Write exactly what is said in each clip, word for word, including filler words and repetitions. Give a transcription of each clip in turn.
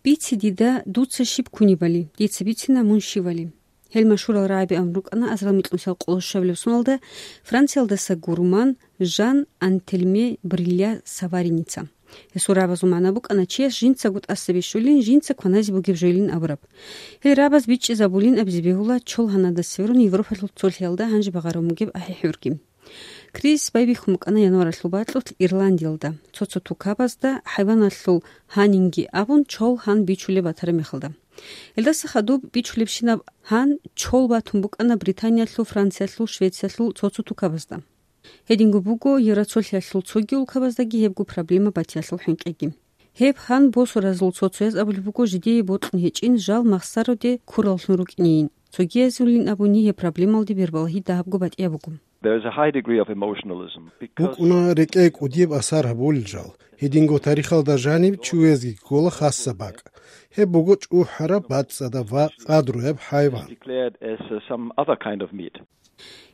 Бице дида, дуца щиб кунебали, дица бицина, мун щивали. Гьел машгьурал рагӀаби абун рукӀана азарал микьнусиялда къоло щуабилеб соналда Франциялдаса гурман Жан Антельме Брилля Савариница. Гьесул рагӀабазул магӀна букӀана чияс жинцаго тӀаса бищулин, жинца кваназе бугеб жойилин абураб. Гьел рагӀабаз бичӀчӀизабулин абизе бегьула чол гьанадас сверун Европалъул цолъиялда гьанже багъарун бугеб ахӀи-хӀурги. Кризис байбихьун букӀана январалъул бакьулъ Ирландиялда. Цо-цо тукабазда хӀайваналъул гьанинги абун чол гьан бичулеб батараб мехалда. Гьелдаса хадуб бичулебщинаб гьан чол батун букӀана Британиялъул, Франциялъул, Швециялъул цо-цо тукабазда. Гьединго буго Евроцолъиялъул цоги улкабаздаги гьебго проблема батиялъул хӀинкъиги. Гьеб гьан босуразул цо-цояз абулеб буго жидее бокьун гьечӀин жал махсароде ккураллъун рукӀинейин. Цогиязулин абуни гьеб проблемалде бербалагьи дагьабго батӀияб буго. There is a high degree of emotionalism because БукӀуна рекӀее кӀудияб асар гьабулел жал. Гьединго тарихалда жаниб чуязги ккола хасаб бакӀ. Гьеб буго чӀухӀараб, бацӀцӀадаб ва къадруяб хӀайван. Declared as, uh, some other kind of meat.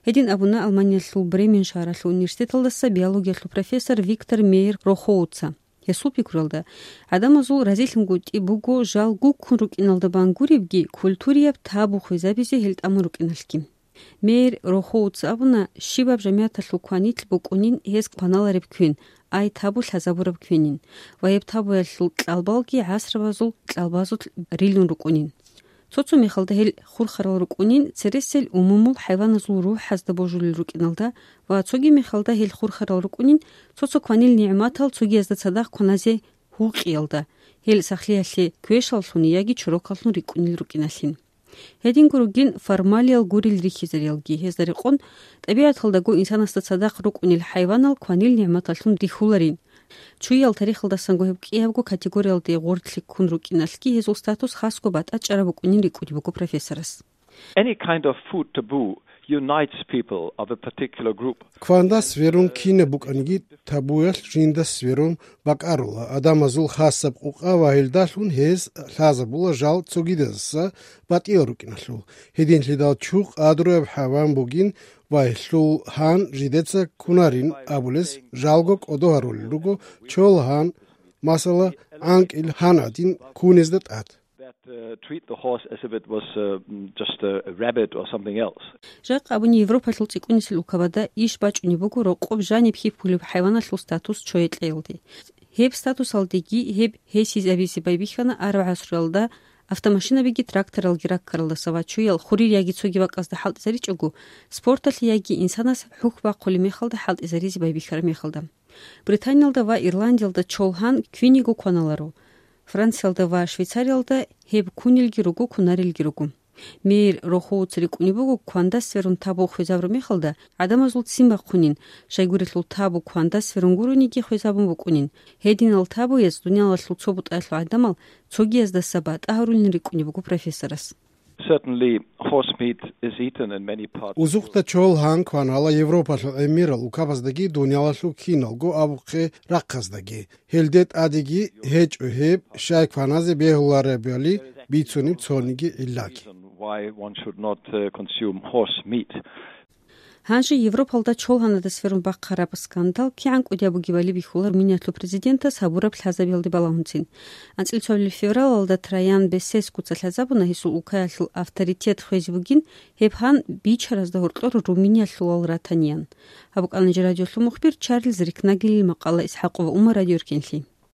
Гьедин абуна Алманиялъул Бремен шагьаралъул университеталдаса биологиялъул профессор Виктор Мейер Рохоуца. Гьесул пикруялда, гӀадамазул разилъунгутӀи буго жал гуккун рукӀиналда бан гуребги, культурияб табу хвезабизе гьел тӀамун рукӀиналъги. Мейер Рохоуца абуна, щибаб жамигӀаталъул кванилъ букӀунин гьез кваналареб квен, ай табу лъазабураб квенин, ва гьеб табуялъул кьалбалги гӀасрабазул кьалбазулъ рилун рукӀунин. Цо-цо мехалда гьел хурхарал рукӀунин цересел умумул хӀайваназул рухӀазда божулел рукӀиналда ва цоги мехалда гьел хурхарал рукӀунин цо-цо кванил нигӀматал цогиязда цадахъ кваназе гьукъиялда, гьел сахлъиялъе квешаллъун яги чорокаллъун рикӀкӀунел рукӀиналъин. Гьединго ругин формалиял гурел рихьизариялги, гьезда рекъон, тӀабигӀаталдаго инсанасда цадахъ рукӀунел хӀайванал кванил нигӀматаллъун рихьуларин. Чуял тарихалдасанго гьеб кӀиябго категориялде гъорлъи ккун рукӀиналъги гьезул статус хасго батӀа чӀараб букӀунин рикӀкӀунеб буго профессорас. Any kind of food taboo unites people of a particular group. Кванда сверун кинаб букӀаниги табуялъ жинда сверун бакӀарула адамазул хасаб къукъа ва гьелдалъун гьез лъазабула жал цогидазаса батӀиял рукӀиналъул. Гьединлъидал чу къадруяб хӀайван бугин ва гьелъул гьан жидеца кунарин абулес жалго кӀодо гьарулел руго чол гьан, масала, гӀанкӀил гьан гӀадин кунезда тӀад. That, uh, treat the horse as if it was, uh, just a rabbit or something else. Жакъа абуни Европалъул цӀикӀкӀунисел улкабада иш бачӀунеб буго рокъоб жаниб хьихьулеб хӀайваналъул статус чое кьеялде. Гьеб статусалдеги гьеб гьесизабизе байбихьана араб гӀасруялда автомашинабиги тракторалги раккаралдаса ва чуял хурир яги цоги бакӀазда хӀалтӀизаричӀого, спорталъе яги инсанас хӀухь бахъулеб мехалда хӀалтӀизаризе байбихьараб мехалда. Британиялда ва Ирландиялда чол гьан квиниго кваналаро. Франциялда ва Швейцариялда гьеб кунелги руго, кунарелги руго. Мейер Рохоуца рикӀкӀунеб буго, кванда сверун табу хвезабураб мехалда, гӀадамазул ццин бахъунин, щайгурелъул табу кванда сверун гурониги хвезабун букӀунин. Гьединал табуяз дуниялалъул цо бутӀаялъул гӀадамал цогияздаса батӀа гьарулин рикӀкӀунеб буго профессорас. Certainly, horse meat is eaten in many parts of Узухъда чол гьан кванала Европалъул гӀемерал улкабаздаги дуниялалъул киналго абухъе рахъаздаги. Гьелде тӀадеги гьечӀо гьеб, щай кваназе бегьуларебали бицунеб цониги гӀиллаги. Reason why one should not, uh, consume horse meat. Гьанже Европалда чол гьанада сверун бахъараб скандал кигӀан кӀудияб бугебали бихьула Румыниялъул президентас гьабураб лъазабиялде балагьунцин. АнцӀила цоабилеб февралалда Траян Бесескуца лъазабуна гьесул улкаялъул авторитет хвезе бугин гьеб гьан бичаразда гьоркьор Румыниялъулал ратаниян. Гьаб букӀана жер радиолъул мухбир Чарльз Рикнагелил макъала. ИсхӀакъова Умар, Радио Эркенлъи.